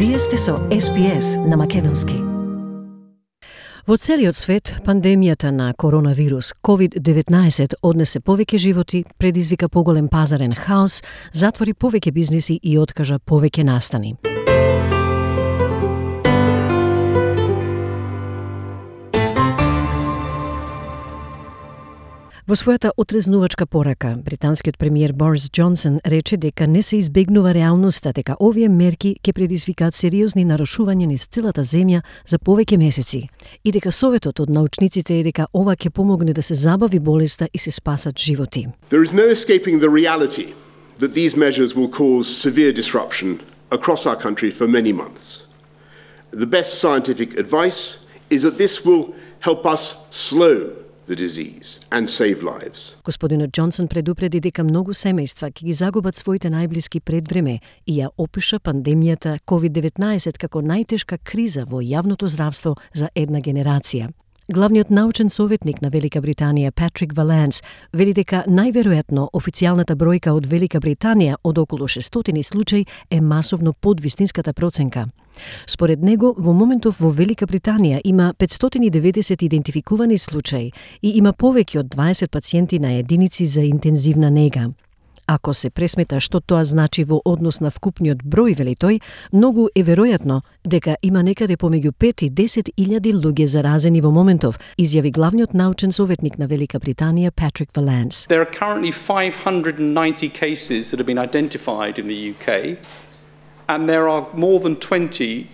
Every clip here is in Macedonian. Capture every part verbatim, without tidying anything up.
Вие сте со Ес Би Ес на македонски. Во целиот свет, пандемијата на коронавирус ковид деветнаесет однесе повеќе животи, предизвика поголем пазарен хаос, затвори повеќе бизниси и откажа повеќе настани. Во својата отрезнувачка порака, британскиот премиер Борис Џонсон рече дека не се избегнува реалноста, дека овие мерки ќе предизвикаат сериозни нарушувања низ целата земја за повеќе месеци и дека советот од научниците е дека ова ќе помогне да се забави болеста и се спасат животи. There is no escaping the reality that these measures will cause severe disruption across our country for many months. The best scientific advice is that this will help us slow the disease and save lives. Господинот Џонсон предупреди дека многу семејства ќе ги загубат своите најблиски пред време и ја опиша пандемијата ковид деветнаесет како најтешка криза во јавното здравство за една генерација. Главниот научен советник на Велика Британија Патрик Валенс вели дека најверојатно официјалната бројка од Велика Британија од околу шестстотини случаи е масовно под вистинската проценка. Според него, во моментов во Велика Британија има петстотини и деветдесет идентификувани случаи и има повеќе од дваесет пациенти на единици за интензивна нега. Ако се пресмета што тоа значи во однос на вкупниот број, вели тој, многу е веројатно дека има некаде помеѓу пет и десет илјади луѓе заразени во моментов, изјави главниот научен советник на Велика Британија Патрик Валенс. There are currently five hundred ninety cases that have been identified in the U K, and there are more than twenty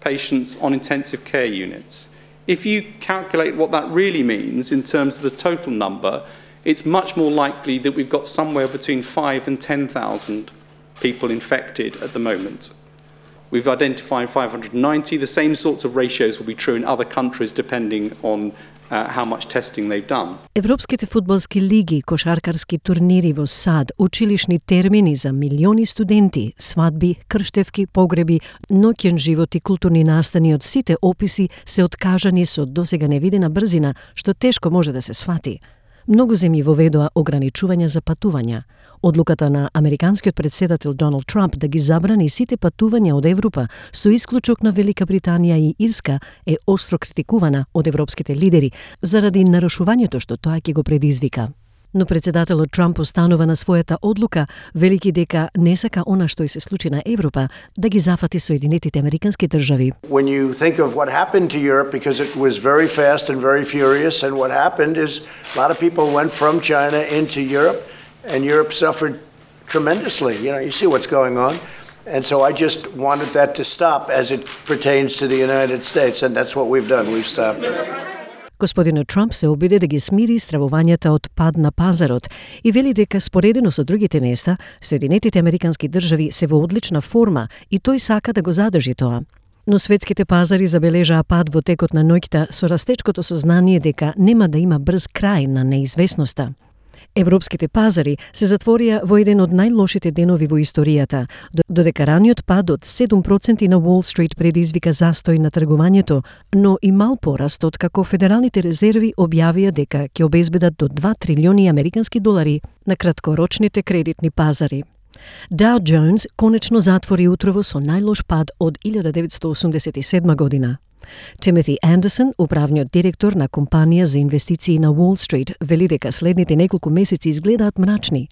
patients on intensive care units. If you calculate what that really means in terms of the total number, it's much more likely that we've got somewhere between five and ten thousand people infected at the moment. We've identified five hundred ninety. The same sorts of ratios will be true in other countries depending on uh, how much testing they've done. Европските фудбалски лиги, кошаркарски турнири во САД, училишни термини за милиони студенти, свадби, крштевки, погреби, ноќен живот и културни настани од сите описи се откажани со досега невидена брзина, што тешко може да се свати. Многу земји воведоа ограничувања за патувања. Одлуката на американскиот претседател Доналд Трамп да ги забрани сите патувања од Европа со исклучок на Велика Британија и Ирска е остро критикувана од европските лидери заради нарушувањето што тоа ќе го предизвика. Но председателот Трамп останува на својата одлука, велики дека не сака она што и се случи на Европа да ги зафати Соединетите Американски држави. When you think of what happened to Europe, because it was very fast and very furious, and what happened is a lot of people went from China into Europe, and Europe suffered tremendously. You know, you see what's going on. And so I just wanted that to stop as it pertains to the United States, and that's what we've done. We've stopped. Господинот Трамп се обиде да ги смири стравувањата од пад на пазарот и вели дека споредено со другите места, Соединетите Американски држави се во одлична форма и тој сака да го задржи тоа. Но светските пазари забележаа пад во текот на ноќта со растечкото сознание дека нема да има брз крај на неизвестноста. Европските пазари се затворија во еден од најлошите денови во историјата, додека раниот пад од седум проценти на Уол Стрит предизвика застој на тргувањето, но и мал пораст од како Федералните резерви објавија дека ќе обезбедат до два трилиони американски долари на краткорочните кредитни пазари. Dow Jones конечно затвори утрово со најлош пад од илјада деветстотини осумдесет и седма година. Тимоти Андерсон, управниот директор на компанија за инвестиции на Уол Стрит, вели дека следните неколку месеци изгледаат мрачни.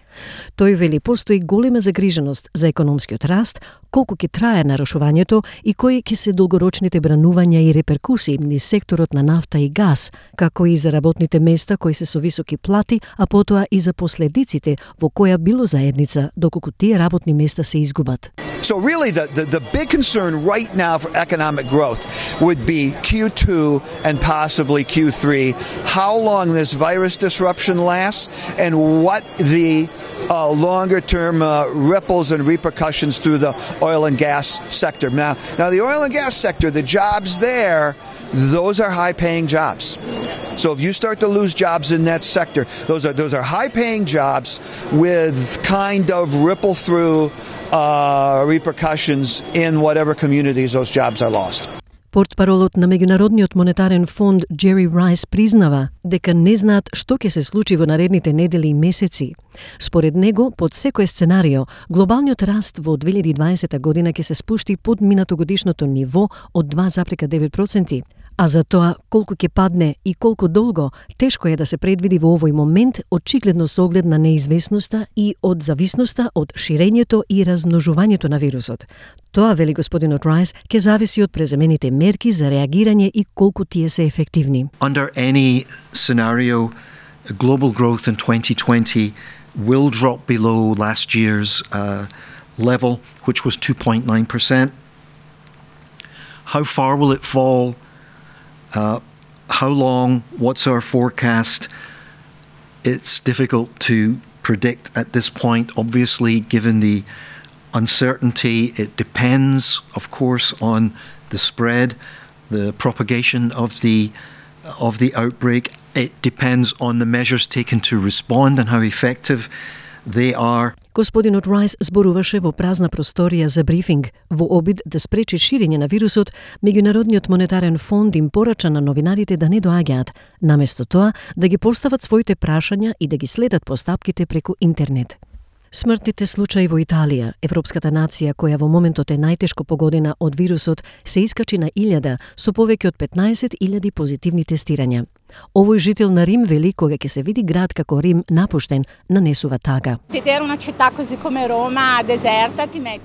Тој вели постои голема загриженост за економскиот раст, колку ќе трае нарушувањето и кои ќе се долгорочните бранувања и реперкусии низ секторот на нафта и газ, како и за работните места кои се со високи плати, а потоа и за последиците во која било заедница, доколку тие работни места се изгубат. So really the, the, the big concern right now for economic growth would be Q two and possibly Q three, how long this virus disruption lasts and what the uh, longer-term uh, ripples and repercussions through the oil and gas sector. Now, now, the oil and gas sector, the jobs there, those are high-paying jobs. So if you start to lose jobs in that sector, those are those are high-paying jobs with kind of ripple-through uh, repercussions in whatever communities those jobs are lost. Портпаролот на Меѓународниот монетарен фонд Джери Райс признава дека не знаат што ќе се случи во наредните недели и месеци. Според него, под секој сценарио, глобалниот раст во две илјади и дваесета година ќе се спушти под минатогодишното ниво од два зарез и девет проценти. А за тоа колку ќе падне и колку долго, тешко е да се предвиди во овој момент, очигледно со оглед на неизвестноста и од зависноста од ширењето и размножувањето на вирусот. Тоа, вели господинот Райс, ќе зависи од преземените мерки за реагирање и колку тие се ефективни. Under any scenario, global growth in twenty twenty will drop below last year's uh, level, which was two point nine percent. How far will it fall? Uh, how long? What's our forecast? It's difficult to predict at this point, obviously, given the uncertainty. It depends, of course, on the spread, the propagation of the of the outbreak. It depends on the measures taken to respond and how effective they are. Господинот Райс зборуваше во празна просторија за брифинг. Во обид да спречи ширење на вирусот, Меѓународниот монетарен фонд им порача на новинарите да не доаѓаат, наместо тоа да ги постават своите прашања и да ги следат постапките преку интернет. Смртните случаи во Италија, европската нација која во моментот е најтешко погодена од вирусот, се искачи на илјада со повеќе од петнаесет илјади позитивни тестирања. Овој жител на Рим вели кога ќе се види град како Рим напуштен, нанесува тага.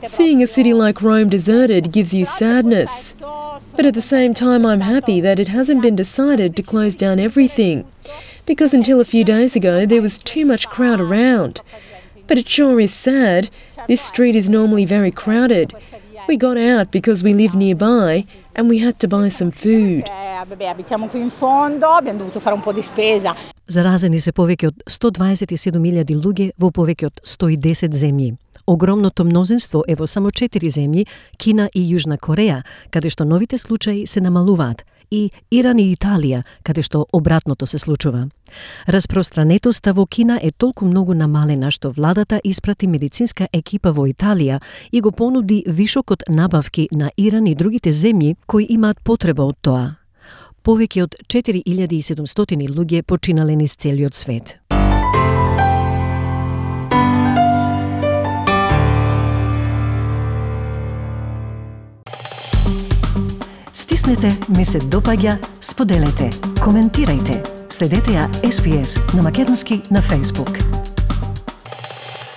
Seeing a city like Rome deserted gives you sadness. But at the same time I'm happy that it hasn't been decided to close down everything. Because until a few days ago there was too much crowd around. But it sure is sad. This street is normally very crowded. We got out because we live nearby and we had to buy some food. Заразени се повеќе од сто дваесет и седум илјади луѓе во повеќе од сто и десет земји. Огромното мнозинство е во само четири земји, Кина и Јужна Кореја, каде што новите случаи се намалуваат, и Иран и Италија, каде што обратното се случува. Распространетоста во Кина е толку многу намалена што владата испрати медицинска екипа во Италија и го понуди вишокот набавки на Иран и другите земји кои имаат потреба од тоа. Повеќе од четири илјади и седумстотини луѓе починале низ целиот свет. Стиснете, ми се допаѓа, споделете, коментирајте. Следете ја Ес Би Ес на македонски на Facebook.